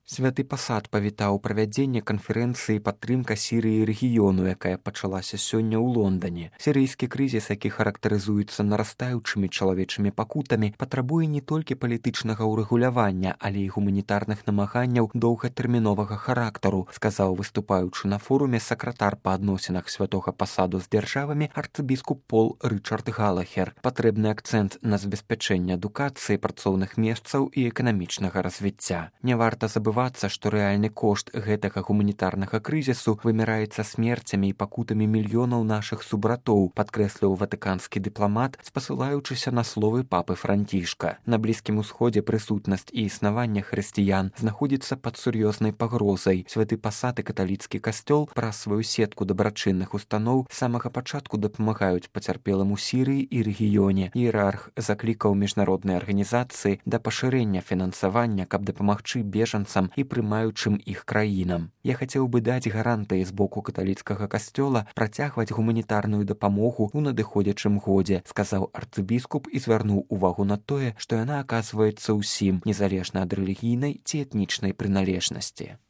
Святы пасад павітаў правядзенне канферэнцыі падтрымка Сірыі рэгіёну, якая пачалася сёння ў Лондане. Сірыйскі крызіс, які характарызуецца нарастаючымі чалавечымі пакутамі, патрабуе не толькі палітычнага ўрэгулявання, але і гуманітарных намаганняў доўгатэрміновага характару, сказаў выступаючы на форуме сакратар па адносінах святога пасаду з дзяржавамі арцыбіскуп Пол Рычард Галахер. Патрэбны акцэнт на забеспячэнне адукацыі, працоўных месцаў і эканамічнага развіцця. Не варта забываць, што рэальны кошт гэтага гуманітарнага крызісу вымяраецца смерцямі і пакутамі мільёнаў нашых субратоў, падкрэсліў ватыканскі дыпламат, спасылаючыся на словы папы Францішка. На Блізкім усходзе прысутнасць і існаванне хрысціян знаходзіцца пад сур'ёзнай пагрозай. Святы пасад і каталіцкі касцёл праз сваю сетку дабрачынных устаноў з самага пачатку дапамагаюць пацярпелым у Сірыі і рэгіёне. Іерарх заклікаў міжнародныя арганізацыі да пашырэння фінансавання, каб дапамагчы бежанцам і прымаючым іх краінам. Я хацеў бы даць гарантыі з боку каталіцкага касцёла працягваць гуманітарную дапамогу ў надыходзячым годзе, сказаў арцыбіскуп і звярнуў увагу на тое, што яна аказваецца ўсім, незалежна ад рэлігійнай ці этнічнай прыналежнасці.